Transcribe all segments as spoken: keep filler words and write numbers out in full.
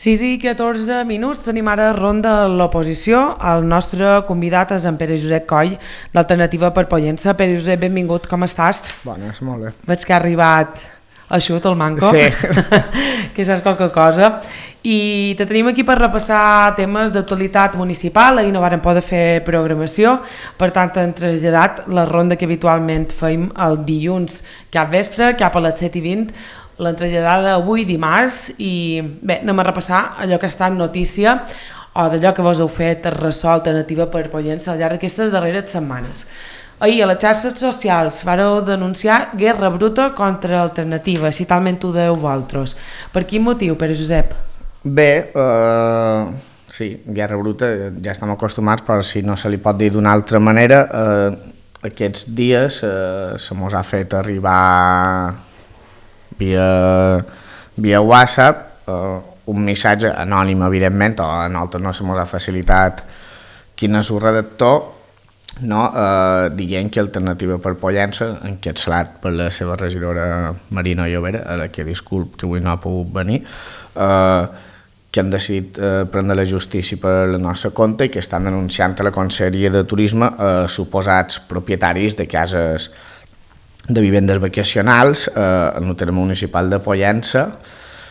sis i catorze minuts, tenim ara ronda a l'oposició. El nostre convidat és en Pere Josep Coll, d'Alternativa per Pollença. Pere Josep, benvingut, com estàs? Bones, molt bé. Veig que ha arribat eixut el manco, sí. que saps qualque cosa. I te tenim aquí per repassar temes d'actualitat municipal. Ahir no vàrem poder fer programació, per tant hem traslladat la ronda que habitualment feim el dilluns cap vespre, cap a les set i vint, l'hem traslladada avui dimarts. I bé, anem a repassar allò que ha estat notícia o d'allò que vos heu fet ressò Alternativa per Pollença al llarg d'aquestes darreres setmanes. Ahir a les xarxes socials vareu denunciar guerra bruta contra Alternativa, si talment ho deu vosaltres. Per quin motiu, Pere Josep? Bé, uh, sí, guerra bruta, ja estem acostumats, però si no se li pot dir d'una altra manera, uh, aquests dies uh, se mos ha fet arribar via, via WhatsApp uh, un missatge anònim, evidentment, o a nosaltres no se mos ha facilitat quin és el redactor, no? uh, dient que Alternativa per Pollença, encapçalat per la seva regidora Marina Llobera, a la que disculp que avui no ha pogut venir, uh, que han decidit uh, prendre la justícia per la nostra compte i que estan denunciant a la Conselleria de Turisme uh, suposats propietaris de cases de vivendes vacacionals eh, en el terme municipal de Pollença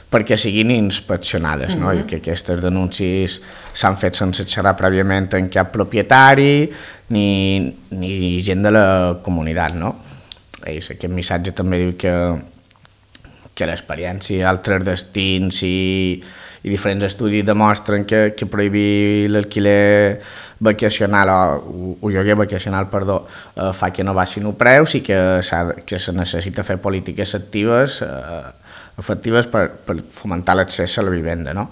perquè siguin inspeccionades, no? Mm-hmm. I que aquestes denúncies s'han fet sense xerrar prèviament amb cap propietari ni, ni gent de la comunitat, no? I aquest missatge també diu que, que l'experiència, altres destins i, i diferents estudis demostren que, que prohibir l'alquiler vacacional o, o lloguer vacacional, perdó, eh, fa que no baixin els preus i que, que se necessita fer polítiques actives, eh, efectives per, per fomentar l'accés a la vivenda, no?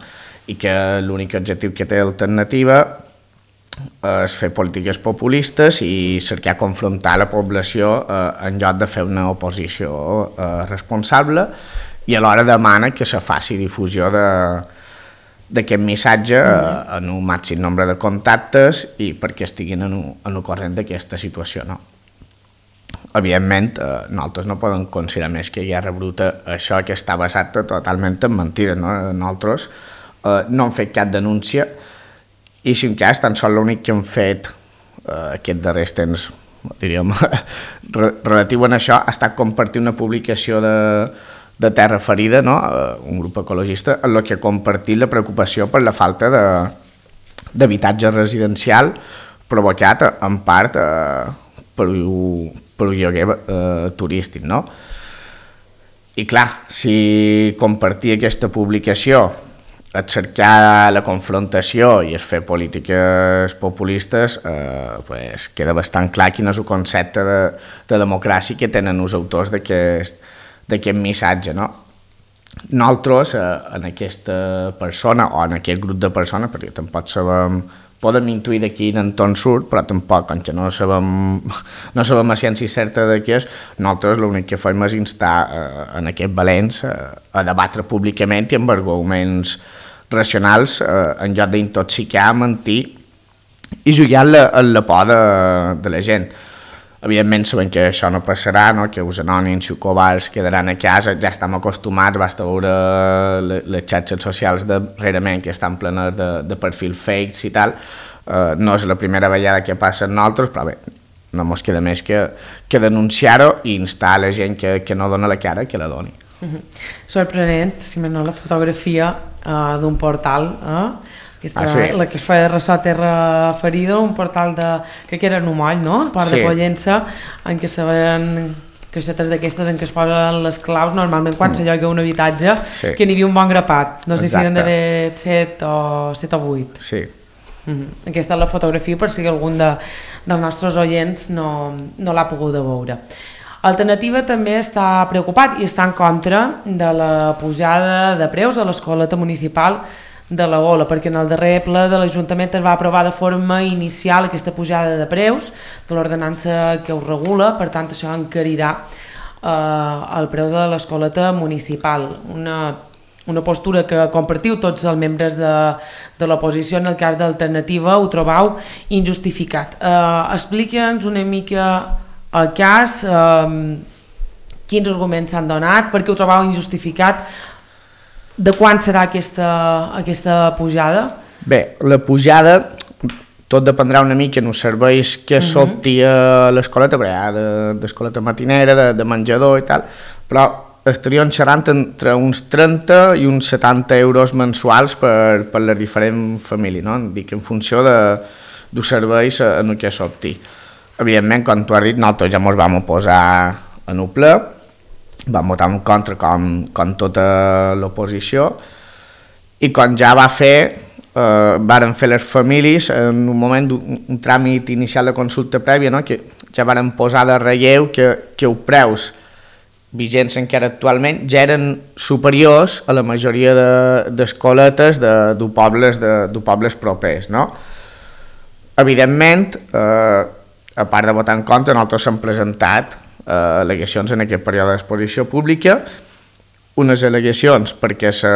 I que l'únic objectiu que té Alternativa és fer polítiques populistes i cercar confrontar la població eh, en lloc de fer una oposició eh, responsable, i alhora demana que se faci difusió de d'aquest missatge eh, en un màxim nombre de contactes i perquè estiguin en, en el corrent d'aquesta situació, no? Evidentment, eh, nosaltres no podem considerar més que guerra bruta això que està basat totalment en mentides, no? Nosaltres eh, no hem fet cap denúncia i, si en cas, tan sols l'únic que hem fet eh, aquest darrers temps, diríem, relatiu a això, ha estat compartir una publicació de de Terra Ferida, no? Un grup ecologista, en el que ha compartit la preocupació per la falta d'habitatge residencial provocat en part eh, per, per un lloguer eh, turístic, no? I clar, si compartir aquesta publicació és cercar la confrontació i és fer polítiques populistes, eh, pues queda bastant clar quin és el concepte de, de democràcia que tenen els autors d'aquest d'aquest missatge, no? Nosaltres, eh, en aquesta persona o en aquest grup de persones, perquè tampoc sabem, podem intuir de quin entorn surt, però tampoc, com que no sabem, no sabem a ciència certa de què és, nosaltres l'únic que fem és instar eh, en aquest Valens eh, a debatre públicament i amb arguments racionals eh, en lloc d'intoxicar, mentir i jugar en la, en la por de, de la gent. Evidentment sabem que això no passarà, no? Que els anònims i els covards quedaran a casa, ja estem acostumats, basta veure les xarxes socials darrerament que estan plenes de, de perfils fakes i tal, uh, no és la primera vegada que passa amb nosaltres, però bé, no ens queda més que, que denunciar-ho i instar a la gent que, que no dona la cara que la doni. Mm-hmm. Sorprenent, si més no, la fotografia uh, d'un portal, eh? Aquesta, ah, sí. La que es fa ressò Terra Ferida, un portal de, que era en un moll, no? A part sí. De Pollença, en què se veien caixetes d'aquestes en què es posen les claus, normalment quan mm. se lloga un habitatge, sí. Que n'hi havia un bon grapat, no sé Exacte. Si n'hi d'haver set o, set o vuit. Sí. Mm-hmm. Aquesta és la fotografia per si algun de, dels nostres oients no, no l'ha pogut veure. Alternativa també està preocupat i està en contra de la pujada de preus a l'escoleta municipal de la Gola, perquè en el darrer ple de l'Ajuntament es va aprovar de forma inicial aquesta pujada de preus de l'ordenança que ho regula, per tant això encarirà eh, el preu de l'escoleta municipal. Una, una postura que compartiu tots els membres de, de l'oposició, en el cas d'Alternativa ho trobau injustificat. Eh, Expliqui'ns una mica el cas, eh, quins arguments s'han donat, perquè ho trobau injustificat De quan serà aquesta, aquesta pujada? Bé, la pujada tot dependrà una mica en els serveis que uh-huh. s'opti a l'escoleta, perquè hi ha d'escoleta matinera, de, de menjador i tal, però estaríem xerrant entre uns trenta i uns setanta euros mensuals per, per les diferents famílies, no? Dic, en funció de, dels serveis en el que s'opti. Evidentment, com tu has dit, nosaltres ja ens vam posar en el ple, vam votar en contra com, com tota l'oposició, i quan ja va fer, eh, varen fer les famílies en un moment d'un un tràmit inicial de consulta prèvia, no? Que ja varen posar de relleu que, que els preus vigents encara actualment ja eren superiors a la majoria d'escoletes de, de, de, pobles, de, de pobles propers, no? Evidentment, eh, a part de votar en contra, nosaltres hem presentat eh, al·legacions en aquest període d'exposició pública, unes al·legacions perquè se,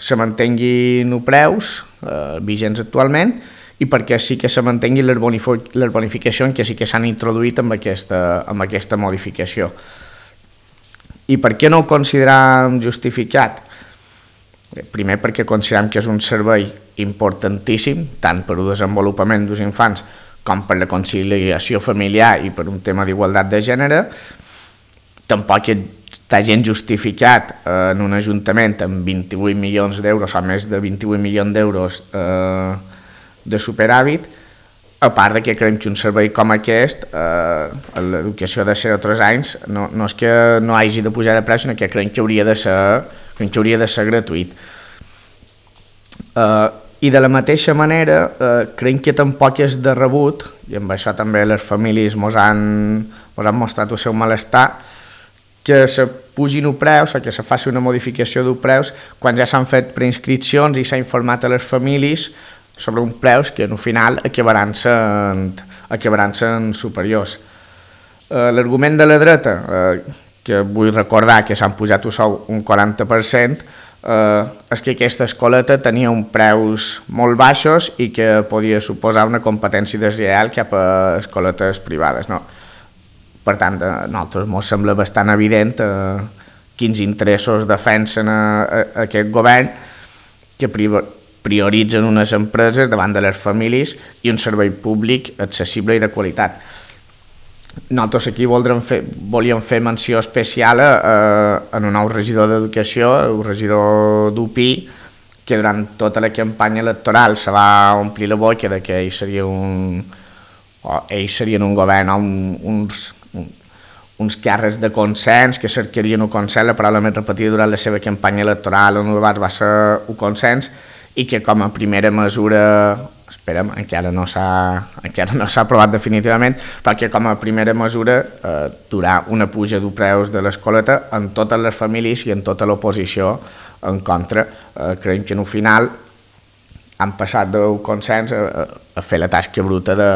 se mantinguin els preus eh, vigents actualment i perquè sí que se mantinguin les, bonif les bonificacions que sí que s'han introduït amb aquesta, amb aquesta modificació. I per què no ho considerem justificat? Primer perquè considerem que és un servei importantíssim, tant per al desenvolupament dels infants com per la conciliació familiar i per un tema d'igualtat de gènere. Tampoc està gens justificat eh, en un ajuntament amb vint-i-vuit milions d'euros o més de vint-i-vuit milions d'euros eh, de superàvit, a part de que creiem que un servei com aquest, eh, l'educació de zero a tres anys, no, no és que no hagi de pujar de preu, sinó que creiem que hauria de ser, creiem que hauria de ser gratuït. Eh, I de la mateixa manera, eh, creiem que tampoc és de rebut, i amb això també les famílies ens han, han mostrat el seu malestar, que se pugin els preus o que se faci una modificació dels preus quan ja s'han fet preinscripcions i s'ha informat a les famílies sobre uns preus que al final acabaran sent, acabaran sent superiors. Eh, L'argument de la dreta, eh, que vull recordar que s'han pujat el sou un quaranta per cent, eh, és que aquesta escoleta tenia uns preus molt baixos i que podia suposar una competència deslleial cap a escoletes privades, no? Per tant, a nosaltres ens sembla bastant evident eh, quins interessos defensen a, a, a aquest govern que prioritzen unes empreses davant de les famílies i un servei públic accessible i de qualitat. Nosaltres aquí fer, volíem fer menció especial a, a un nou regidor d'Educació, el regidor d'U P I, que durant tota la campanya electoral se va omplir la boca de que ells serien un, o ells serien un govern, un, uns uns càrrecs de consens, que cercarien un consens, la paraula més repetida durant la seva campanya electoral on el debat va ser un consens, i que com a primera mesura, esperem, encara no s'ha encara no s'ha aprovat definitivament, perquè com a primera mesura eh, durar una puja de preus de l'escoleta en totes les famílies i en tota l'oposició en contra. Eh, creiem que en el final han passat del consens a, a fer la tasca bruta de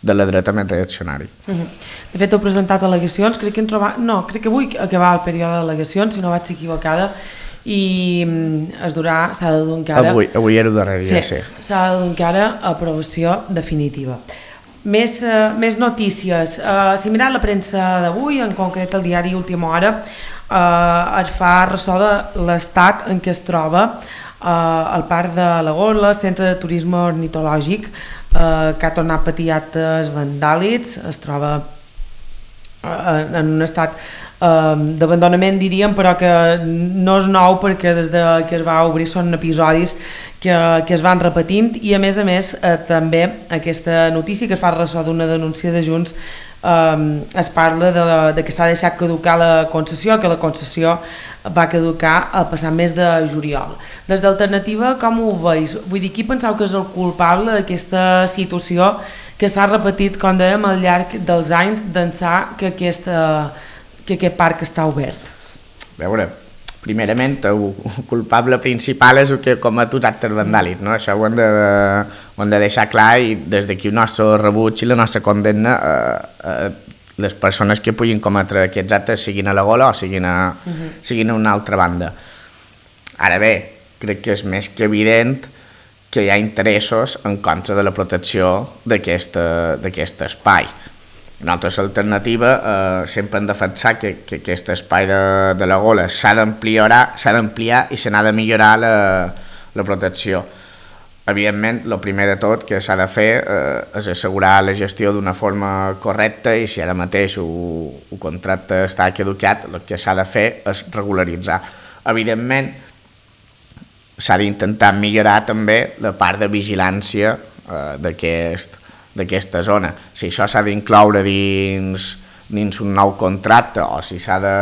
de la dreta més reaccionari. De fet, heu presentat al·legacions, crec que hem trobat... No, crec que avui acabar el període d'al·legacions, si no vaig ser equivocada, i es durà, s'ha de dur encara... Avui, avui era el darrer dia, sí. Sí, s'ha de dur encara aprovació definitiva. Més, uh, més notícies. Uh, si mirat la premsa d'avui, en concret el diari Última Hora, uh, es fa ressò de l'estat en què es troba uh, el Parc de la Gola, centre de turisme ornitològic, Uh, que ha tornat a patir actes vandàlics, es troba uh, en un estat uh, d'abandonament, diríem, però que no és nou perquè des de que es va obrir són episodis que, que es van repetint, i a més a més uh, també aquesta notícia que es fa ressò d'una denúncia de Junts, um, es parla de, de que s'ha deixat caducar la concessió, que la concessió va caducar el passat mes de juliol. Des d'Alternativa, com ho veus? Vull dir, qui penseu que és el culpable d'aquesta situació que s'ha repetit, com dèiem, al llarg dels anys, d'ençà que, aquesta, que aquest parc està obert? A veure, primerament, el culpable principal és el que comet els actes vandàlics, no? Això ho hem de, ho hem de deixar clar, i des d'aquí el nostre rebuig i la nostra condemna a, a les persones que puguin cometre aquests actes, siguin a la Gola o siguin a, uh-huh. siguin a una altra banda. Ara bé, crec que és més que evident que hi ha interessos en contra de la protecció d'aquest espai. Nosaltres l'alternativa eh, sempre hem defensat que, que aquest espai de, de la gola s'ha d'ampliar s'ha d'ampliar i se n'ha de millorar la, la protecció. Evidentment, el primer de tot que s'ha de fer eh, és assegurar la gestió d'una forma correcta i si ara mateix el contracte està caducat, el que s'ha de fer és regularitzar. Evidentment, s'ha d'intentar millorar també la part de vigilància eh, d'aquest d'aquesta zona. Si això s'ha d'incloure dins, dins un nou contracte o si s'ha de,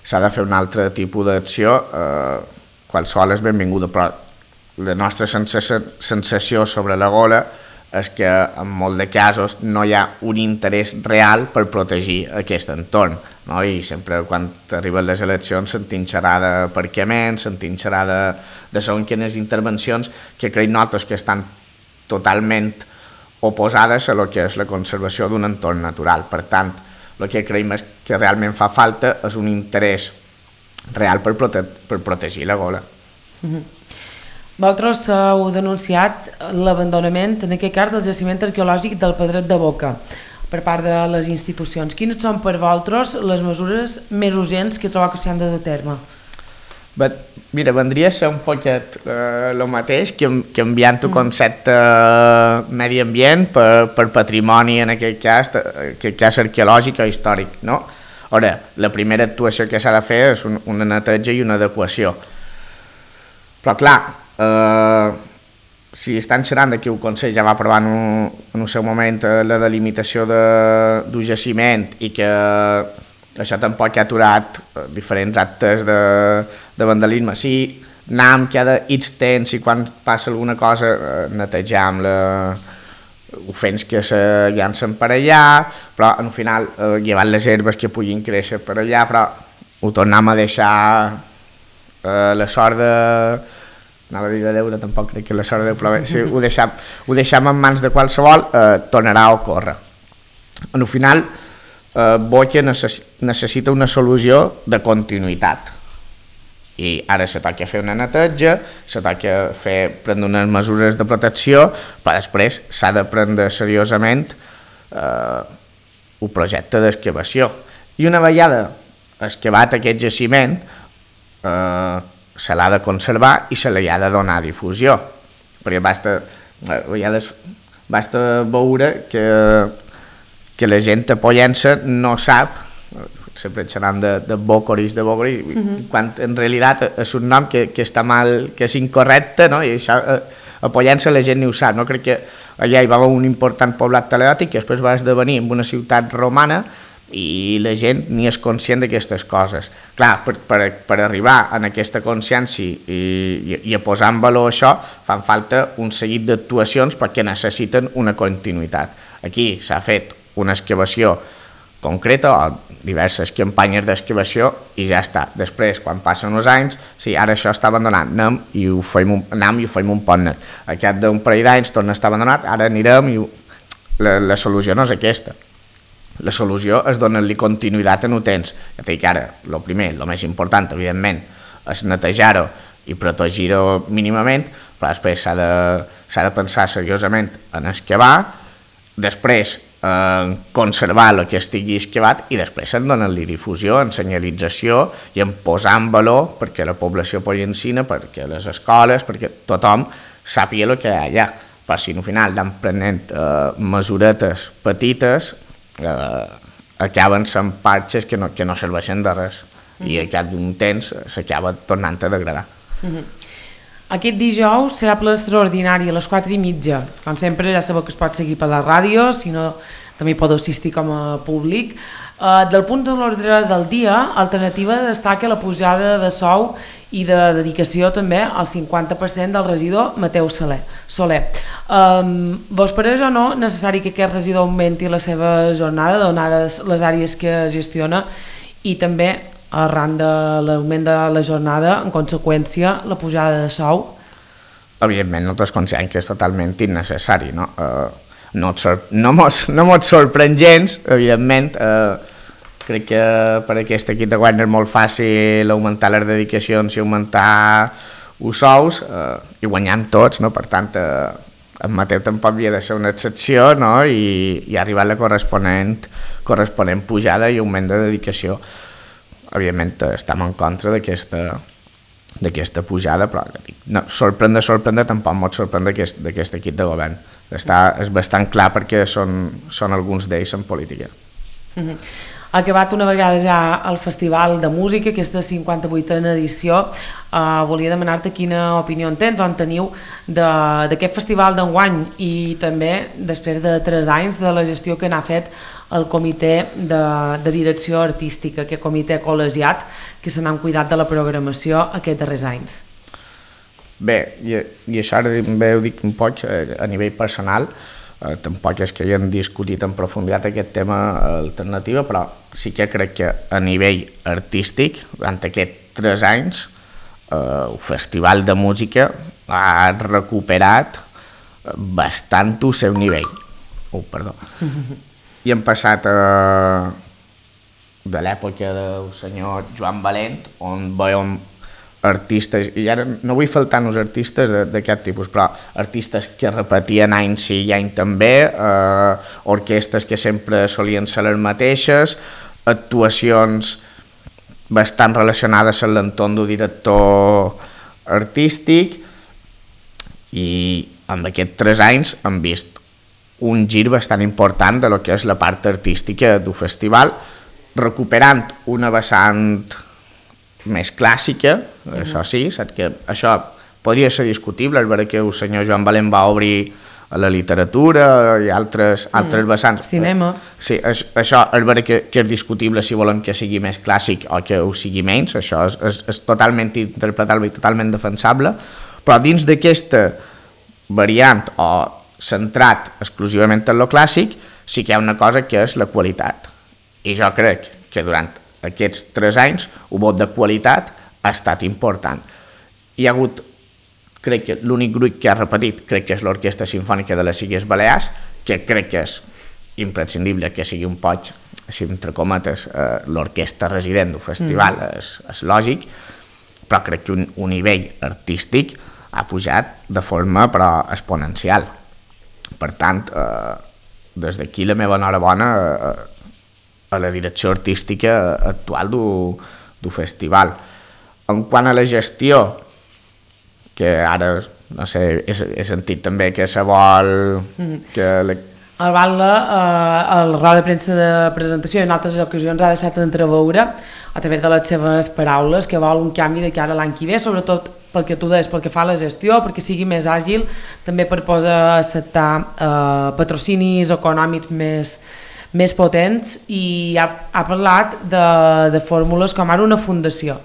s'ha de fer un altre tipus d'acció, eh, qualsevol és benvinguda, però la nostra sensació sobre la gola és que en molts de casos no hi ha un interès real per protegir aquest entorn, no? I sempre quan arriben les eleccions sentim xerrar d'aparcament, sentim xerrar de, de segons quines intervencions que crec nosaltres que estan totalment oposades a lo que és la conservació d'un entorn natural. Per tant, el que creiem és que realment fa falta és un interès real per, prote per protegir la gola. Mm-hmm. Vosaltres heu denunciat l'abandonament, en aquest cas, del jaciment arqueològic del Pedret de Boca per part de les institucions. Quines són per vosaltres les mesures més urgents que trobeu que s'han de dur a terme? But, mira, vendria a ser un poquet el eh, mateix, que canviant el concepte uh, medi ambient per, per patrimoni, en aquest cas, en aquest cas arqueològic o històric, no? Ara, la primera actuació que s'ha de fer és un, una neteja i una adequació. Però clar, eh, si estan xerrant que el Consell ja va aprovar en un, en un seu moment la delimitació de, d'un jaciment i que això tampoc ha aturat diferents actes de, de vandalisme. Sí, anem cada X temps i quan passa alguna cosa netejam la, ofens que se llancen per allà, però al final eh, llevant les herbes que puguin créixer per allà, però ho tornem a deixar eh, la sort de... anava a dir de Déu, tampoc crec que la sort de Déu, però bé, si ho deixam, ho deixam en mans de qualsevol, eh, tornarà a ocórrer. Al final, Uh, Boca necess necessita una solució de continuïtat i ara se toca fer una neteja, se toca fer, prendre unes mesures de protecció, però després s'ha de prendre seriosament uh, un projecte d'excavació i una vegada excavat aquest jaciment uh, se l'ha de conservar i se li ha de donar difusió, perquè basta, a vegades basta veure que que la gent a Pollença no sap, sempre xerram de, de Bocoris, de Bocoris, uh-huh. quan en realitat és un nom que, que està mal, que és incorrecte, no? I això a, a Pollença la gent ni ho sap, no? Crec que allà hi va haver un important poblat talèotic que després va esdevenir en una ciutat romana i la gent ni és conscient d'aquestes coses. Clar, per, per, per arribar en aquesta consciència i, i, i a posar en valor això fan falta un seguit d'actuacions perquè necessiten una continuïtat. Aquí s'ha fet una excavació concreta o diverses campanyes d'excavació i ja està. Després, quan passen uns anys, sí, ara això està abandonat, anem i ho fem un, anem i ho fem un pont net. Aquest d'un parell d'anys torna a estar abandonat, ara anirem i ho... la, la solució no és aquesta. La solució és donar-li continuïtat en un temps. Ja dic ara, el primer, el més important, evidentment, és netejar-ho i protegir-ho mínimament, però després s'ha de, s'ha de pensar seriosament en excavar, després eh, conservar el que estigui excavat i després en donar-li difusió, en senyalització i en posar en valor perquè la població pollencina, perquè les escoles, perquè tothom sàpiga el que hi ha allà. Però si al final anem prenent eh, mesuretes petites, eh, acaben sent parxes que no, que no serveixen de res mm-hmm. i al cap d'un temps s'acaba tornant a degradar. Mm-hmm. Aquest dijous serà ple extraordinari a les quatre i mitja. Com sempre ja sabeu que es pot seguir per la ràdio, si no també hi podeu assistir com a públic. Uh, del punt de l'ordre del dia, Alternativa destaca la pujada de sou i de dedicació també al cinquanta per cent del regidor Mateu Soler. Um, vos pareix o no necessari que aquest regidor augmenti la seva jornada, donades les àrees que gestiona i també arran de l'augment de la jornada, en conseqüència, la pujada de sou? Evidentment, nosaltres considerem que és totalment innecessari, no? Eh, no, sor no, mos, no mos sorprèn gens, evidentment. Eh, crec que per aquest equip de govern és molt fàcil augmentar les dedicacions i augmentar els sous, eh, i guanyant tots, no? Per tant, eh, en Mateu tampoc havia de ser una excepció, no? I, i ha arribat la corresponent, corresponent pujada i augment de dedicació. Evidentment estem en contra d'aquesta d'aquesta pujada, però no, sorprendre, sorprendre tampoc pot sorprendre d'aquest, d'aquest equip de govern. Està, és bastant clar perquè són, són alguns d'ells en política. Mm-hmm. Ha acabat una vegada ja el Festival de Música, aquesta cinquanta-vuitena edició. Uh, volia demanar-te quina opinió en tens o en teniu d'aquest festival d'enguany i també després de tres anys de la gestió que n'ha fet el comitè de, de direcció artística, aquest comitè col·legiat que se n'han cuidat de la programació aquests darrers anys. Bé, i, i això ara bé ho dic un poc a nivell personal, eh, tampoc és que haguem discutit en profunditat aquest tema alternativa, però sí que crec que a nivell artístic, durant aquests tres anys, eh, el Festival de Música ha recuperat bastant el seu nivell. Oh, perdó. I hem passat a, de l'època del senyor Joan Valent, on veiem artistes, i ara no vull faltar els artistes d'aquest tipus, però artistes que repetien any sí i any també, eh, orquestres que sempre solien ser les mateixes, actuacions bastant relacionades amb l'entorn del director artístic, i en aquests tres anys hem vist un gir bastant important de lo que és la part artística del festival, recuperant una vessant més clàssica, mm-hmm. això sí, saps que això podria ser discutible, és veritat que el senyor Joan Valent va obrir a la literatura i altres, mm. altres vessants. Cinema. Sí, és, això és veritat que, que és discutible si volem que sigui més clàssic o que ho sigui menys, això és, és, és totalment interpretable i totalment defensable, però dins d'aquesta variant o centrat exclusivament en lo clàssic, sí que hi ha una cosa que és la qualitat. I jo crec que durant aquests tres anys el vot de qualitat ha estat important. Hi ha hagut, crec que l'únic grup que ha repetit, crec que és l'Orquestra Simfònica de les Illes Balears, que crec que és imprescindible que sigui un poc, així entre cometes, eh, l'orquestra resident del festival, mm. és, és lògic, però crec que un, un nivell artístic ha pujat de forma però exponencial. Per tant, eh, des d'aquí la meva enhorabona a, a la direcció artística actual del festival. En quant a la gestió, que ara, no sé, he, he sentit també que se vol... que la... El Batlle, eh, el roda de premsa de presentació i en altres ocasions ha deixat entreveure a través de les seves paraules que vol un canvi de cara a l'any que ve, sobretot pel que tu deies, pel que fa a la gestió, perquè sigui més àgil, també per poder acceptar eh, patrocinis econòmics més, més potents, i ha, ha parlat de, de fórmules com ara una fundació.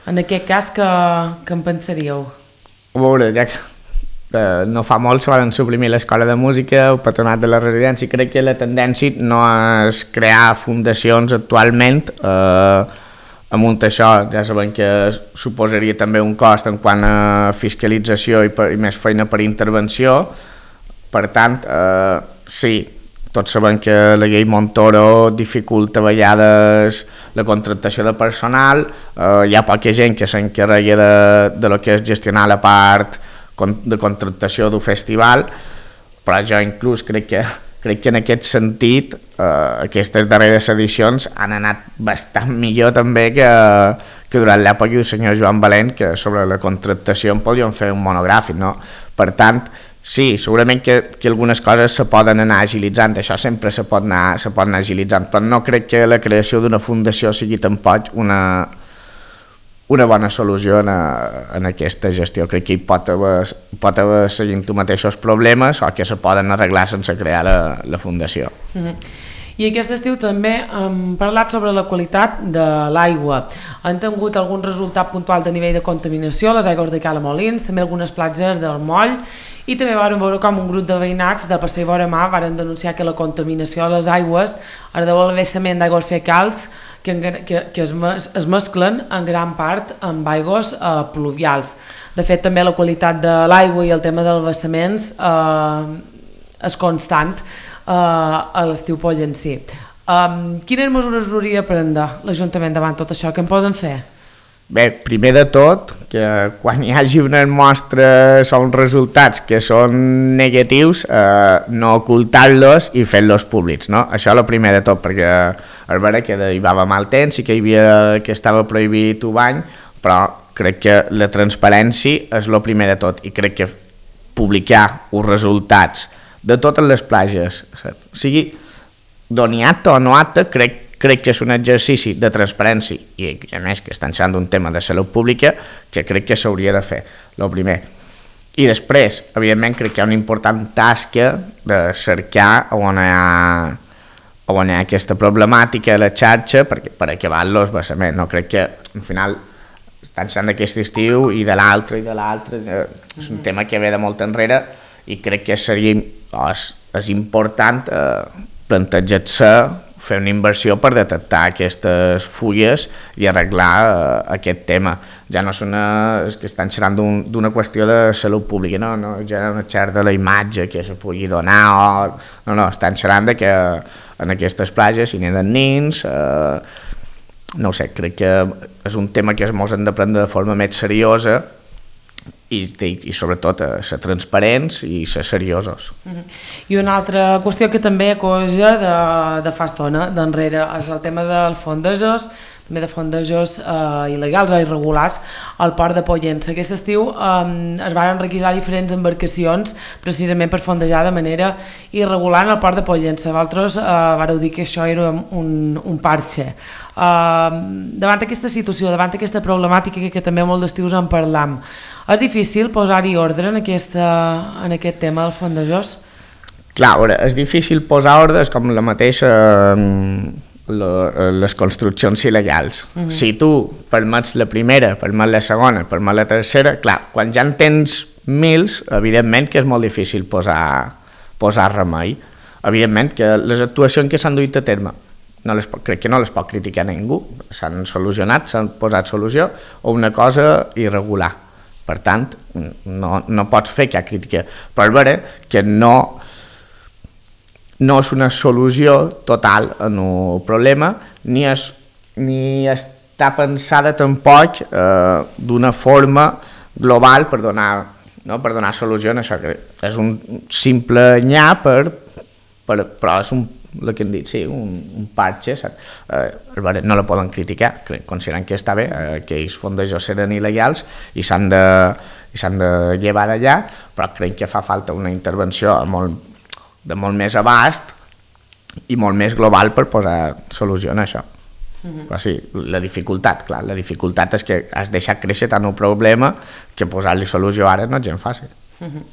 En aquest cas, que, que en pensaríeu? A veure, ja que eh, no fa molt se van suprimir l'escola de música, el patronat de la residència, i crec que la tendència no és crear fundacions actualment, eh, amunt això ja sabem que suposaria també un cost en quant a fiscalització i, per, i més feina per intervenció. Per tant, eh, sí, tots sabem que la llei Montoro dificulta a vegades la contractació de personal, eh, hi ha poca gent que s'encarrega de, de lo que és gestionar la part de contractació del festival, però jo inclús crec que Crec que en aquest sentit eh, aquestes darreres edicions han anat bastant millor també que, que durant l'època del senyor Joan Valent, que sobre la contractació en podríem fer un monogràfic, no? Per tant, sí, segurament que, que algunes coses se poden anar agilitzant, això sempre se pot anar, se pot anar agilitzant, però no crec que la creació d'una fundació sigui tampoc una, una bona solució en, a, en aquesta gestió. Crec que hi pot haver, pot haver seguint tu mateixos problemes o que se poden arreglar sense crear la, la fundació. Mm-hmm. I aquest estiu també hem parlat sobre la qualitat de l'aigua. Han tingut algun resultat puntual de nivell de contaminació a les aigües de Cala Molins, també algunes platges del Moll, i també vam veure com un grup de veïnats del Passeig Vora Mar van denunciar que la contaminació a les aigües es deu al vessament d'aigües fecals que, que, que es, mes, es mesclen en gran part amb aigües eh, pluvials. De fet, també la qualitat de l'aigua i el tema dels vessaments eh, és constant eh, a l'estiu pollencí. Um, quines mesures hauria de prendre l'Ajuntament davant tot això? Què en poden fer? Bé, primer de tot, que quan hi hagi unes mostres o uns resultats que són negatius, eh, no ocultar-los i fer-los públics, no? Això és el primer de tot, perquè és vera que hi va mal temps i que, hi havia, que estava prohibit un bany, però crec que la transparència és el primer de tot, i crec que publicar els resultats de totes les platges, o sigui, d'on hi ha acte o no acte, crec crec que és un exercici de transparència i a més que estan sent un tema de salut pública que crec que s'hauria de fer, el primer. I després, evidentment, crec que hi ha una important tasca de cercar on hi ha, on hi ha aquesta problemàtica a la xarxa perquè, per acabar-los basament. No crec que al final estan sent d'aquest estiu i de l'altre i de l'altre, és un tema que ve de molt enrere i crec que seria és, és important eh, plantejar-se fer una inversió per detectar aquestes fulles i arreglar eh, aquest tema. Ja no és, una, és que estan xerrant d'una un, qüestió de salut pública, no, no, ja no xerrant de la imatge que se pugui donar, o, no, no, estan xerrant de que en aquestes platges hi neden nins, eh, no ho sé, crec que és un tema que es mos hem de prendre de forma més seriosa i, i sobretot a ser transparents i ser seriosos. Uh-huh. I una altra qüestió que també cosa de, de fa estona, d'enrere, és el tema dels fondejos, també de fondejos eh, il·legals o irregulars al port de Pollença. Aquest estiu eh, es van requisar diferents embarcacions precisament per fondejar de manera irregular en el port de Pollença. Vosaltres eh, vareu dir que això era un, un parxe. Uh, davant aquesta situació, davant aquesta problemàtica que, que també molt d'estius en parlam, és difícil posar-hi ordre en, aquesta, en aquest tema dels fondejors? Clar, veure, és difícil posar ordre, és com la mateixa la, les construccions il·legals. Uh-huh. Si tu permets la primera, permets la segona, permets la tercera, clar, quan ja en tens mils, evidentment que és molt difícil posar, posar remei. Evidentment que les actuacions que s'han duit a terme no les, crec que no les pot criticar ningú, s'han solucionat, s'han posat solució a una cosa irregular. Per tant, no, no pots fer cap crítica, però és vera que no, no és una solució total en un problema, ni, és, ni està pensada tampoc eh, d'una forma global per donar, no, per donar solució a això, que és un simple nyà, per, per, però és un el que hem dit, sí, un, un parche, eh, no la poden criticar, considerant que està bé, eh, que els fondejos eren il·legals i s'han de, i s'han de llevar d'allà, però crec que fa falta una intervenció molt, de molt més abast i molt més global per posar solució a això. Uh-huh. Però sí, la dificultat, clar, la dificultat és que has deixat créixer tant un problema que posar-li solució ara no és gens fàcil. Uh-huh.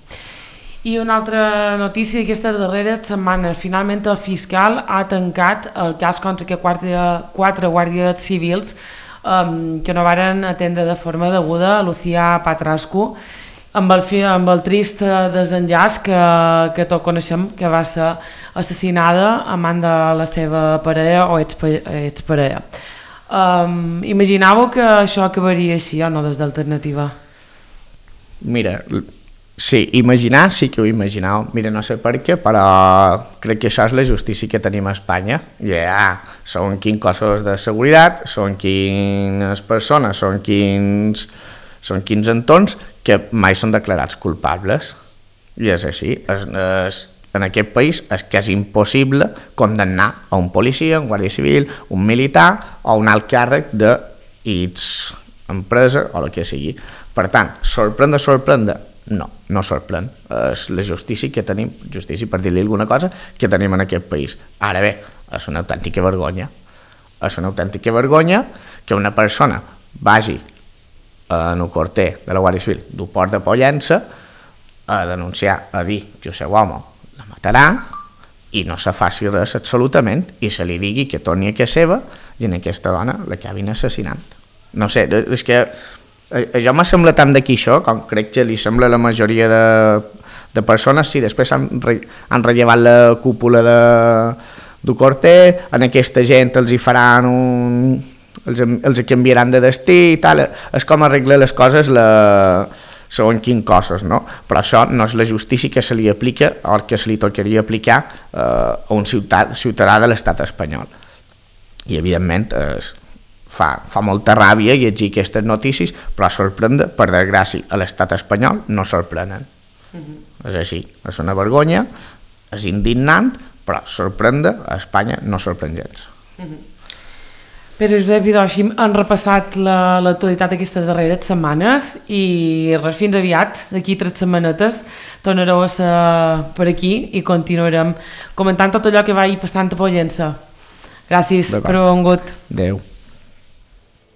I una altra notícia d'aquesta darrera setmana, finalment el fiscal ha tancat el cas contra que quatre, quatre guàrdies civils um, que no varen atendre de forma deguda a Lucía Patrasco amb el, amb el trist desenllaç que, que tot coneixem, que va ser assassinada a man de la seva parella o exparella. Um, imaginàveu que això acabaria així o no des d'Alternativa? Mira, sí, imaginar sí que ho imaginau. Mira, no sé per què, però crec que això és la justícia que tenim a Espanya. Ja, són quins cossos de seguretat, són quines persones, són quins, són quins entorns que mai són declarats culpables. I és així. És, és, en aquest país és quasi impossible condemnar a un policia, un guàrdia civil, un militar o un alt càrrec de X empresa o el que sigui. Per tant, sorprèn de sorprendre? No, no sorprèn. És la justícia que tenim, justícia per dir-li alguna cosa, que tenim en aquest país. Ara bé, és una autèntica vergonya. És una autèntica vergonya que una persona vagi en un corter de la Guàrdia Civil d'un port de Pollença a denunciar, a dir que el seu home la matarà i no se faci res absolutament i se li digui que torni a casa seva i en aquesta dona l'acabin assassinant. No sé, és que això m'ha semblat tant d'aquí això, com crec que li sembla a la majoria de, de persones. Sí, després han, re, han rellevat la cúpula de, d'un corter, en aquesta gent els hi faran un... els, els canviaran de destí i tal. És com arreglar les coses la, segons quins cossos, no? Però això no és la justícia que se li aplica o que se li tocaria aplicar eh, a un ciutadà, ciutadà de l'estat espanyol. I evidentment és fa, fa molta ràbia llegir aquestes notícies, però sorprendre, per desgràcia, a l'estat espanyol no sorprenen. Uh-huh. És així, és una vergonya, és indignant, però sorprendre a Espanya no sorprèn gens. Uh-huh. Però Josep Idoshi, han repassat l'actualitat aquestes darreres setmanes i res, fins aviat, d'aquí tres setmanetes tornareu a ser per aquí i continuarem comentant tot allò que vagi passant a Pollença. Gràcies per haver vingut. Adéu.